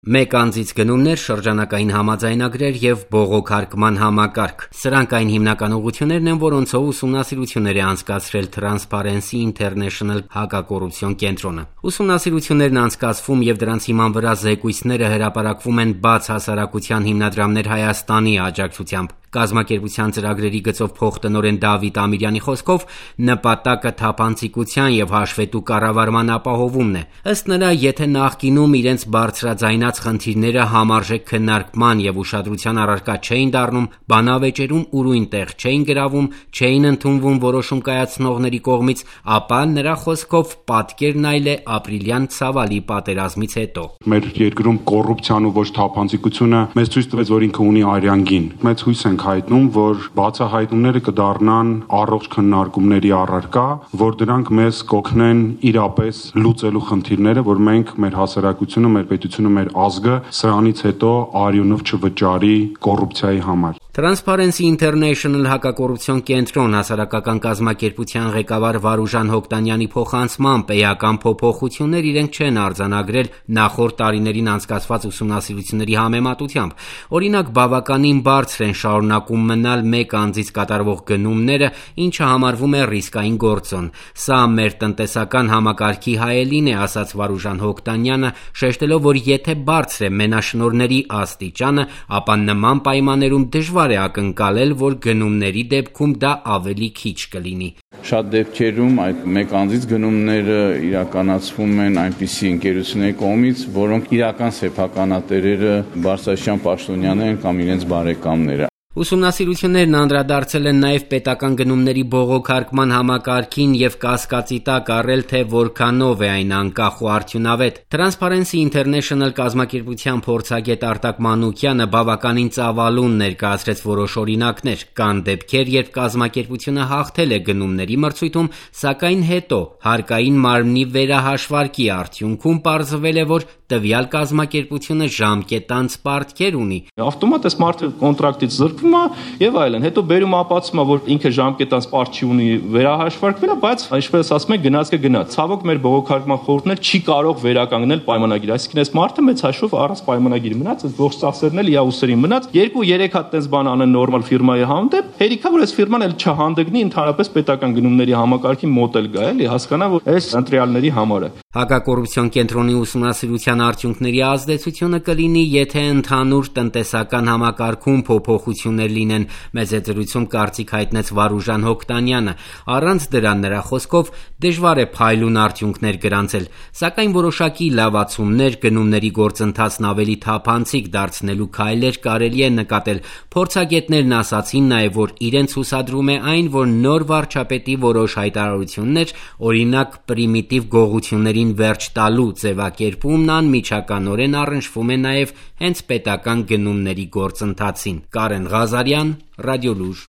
Մեկ անձից գնումներ, շրջանակային համաձայնագրեր և բողոքարկման համակարգ։ Սրանք այն հիմնական ուղղություններն են, որոնցով ուսումնասիրություններ է անցկացրել Transparency International հակակոռուպցիոն կենտրոնը։ Ուսումնասիրություններն անցկացվում և դրանց հիման վրա զեկույցները հրապարակվում են բաց հասարակության հիմնադրամներ Հայաստանի աջակցությամբ։ Կազմակերպության ծրագրերի գծով փոխտնօրեն Դավիթ Ամիրյանի խոսքով նպատակը թափանցիկության և հաշվետու կառավարման ապահովումն է։ Ըստ նրա, եթե նախկինում իրենց բարձրաձայնած խնդիրները համարժեք քննարկման և ուշադրության առարկա չէին դառնում, բանավեճերում ուրույն տեղ չէին գրավում, չէին ընդունվում որոշում կայացնողների կողմից, ապա նրա խոսքով պատկերն այլ է ապրիլյան ցավալի պատերազմից հետո։ Մեր երկրում կոռուպցիան ու ոչ թափանցիկությունը մեզ ցույց տվեց, որ ինքը ունի արյան գին։ Մեծ հույս ենք հայտնում, որ բացահայտումները կդառնան առողջ քննարկումների առարկա, որ դրանք մեզ կօգնեն իրապես լուծելու խնդիրները, որ մենք մեր հասարակությունը, մեր պետությունը, մեր ազգը սրանից հետո արյունով չվճարի կոռուպցիայի համար։ Transparency International հակակոռուպցիոն կենտրոն հասարակական կազմակերպության ղեկավար Վարուժան Հոկտանյանի փոխանցմամբ էական փոփոխություններ իրենք չեն արձանագրել նախորդ տարիներին անցկացված ուսումնասիրությունների համեմատությամբ։ Օրինակ, բավականին բարձր են շարունակում մնալ մեկ անձից կատարվող գնումները, ինչը համարվում է ռիսկային գործոն։ Սա մեր տնտեսական համակարգի հայելին է, ասաց Վարուժան Հոկտանյանը, շեշտելով, որ եթե բարձր է մենաշնորհների աստիճանը, ապա նման պայմաններում դժվար է ակնկալել, որ գնումների դեպքում դա ավելի քիչ կլինի։ Շատ դեպքերում այդ մեկ անձից գնումները իրականացվում են այնպիսի ընկերությունների կողմից, որոնք իրական սեփականատերերը բարձրաստիճան պաշտոնյաներ են կամ իրենց բարեկամները։ Ուսումնասիրություններն անդրադարձել են նաև պետական գնումների բողոքարկման համակարգին և կասկածի տակ առել, թե որքանով է այն անկախ ու արդյունավետ։ Transparency International կազմակերպության փորձագետ Արտակ Մանուկյանը բավականին ծավալուն ներկայացրեց որոշ օրինակներ։ Կան դեպքեր, երբ կազմակերպությունը հաղթել է գնումների մրցույթում, սակայն հետո հարկային մարմնի վերահաշվարկի արդյունքում պարզվել է, որ տվյալ կազմակերպությունը ժամկետանց պարտքեր ունի։ Ավտոմատ այս մարդը կոնտրակտից զրկվում է եւ այլն։ Հետո բերում ապացուցում է, որ ինքը ժամկետանց պարտ չի ունի, վերահաշվարկվել է, բայց ինչպես ասում են, գնաց կգնաց։ Ցավոք մեր բողոքարկման խորհուրդն չի կարող վերականգնել պայմանագիր, այսինքն այս մարդը մեծ հաշվով առանց պայմանագիր մնաց, այս ողջ ծախսերն էլ իա ուսերին մնաց։ 2-3 հատ տես բան անեն նորմալ ֆիրմայի հանդեպ, հերիքա որ այս ֆիրման էլ չհանդգնի ընդհանրապես պետական գնումների համակարգի մոտ էլ գա, էլի հասկանա, որ այս ընտրյալների համար է։ Հակակոռուպցիոն կենտրոնի ուսումնասիրության արդյունքների ազդեցությունը կլինի, եթե ընդհանուր տնտեսական համակարգում փոփոխություններ լինեն, մեծ զրույցում կարծիք հայտնեց Վարուժան Հոկտանյանը։ Առանց դրա, նրա խոսքով, դժվար է փայլուն արդյունքներ գրանցել, սակայն որոշակի լավացումներ, գնումների գործընթացն ավելի թափանցիկ դարձնելու քայլեր կարելի է նկատել։ Փորձագետներն ասացին նաև, որ իրենց հուսադրում է այն, որ նոր վարչապետի որոշ հայտարարություններ, օրինակ պրիմիտիվ գողություններին վերջ տալու ձևակերպումն անմիջականորեն առնչվում է նաև հենց պետական գնումների գործընթացին։ Կարեն Ղազարյան, Ռադիոլուր։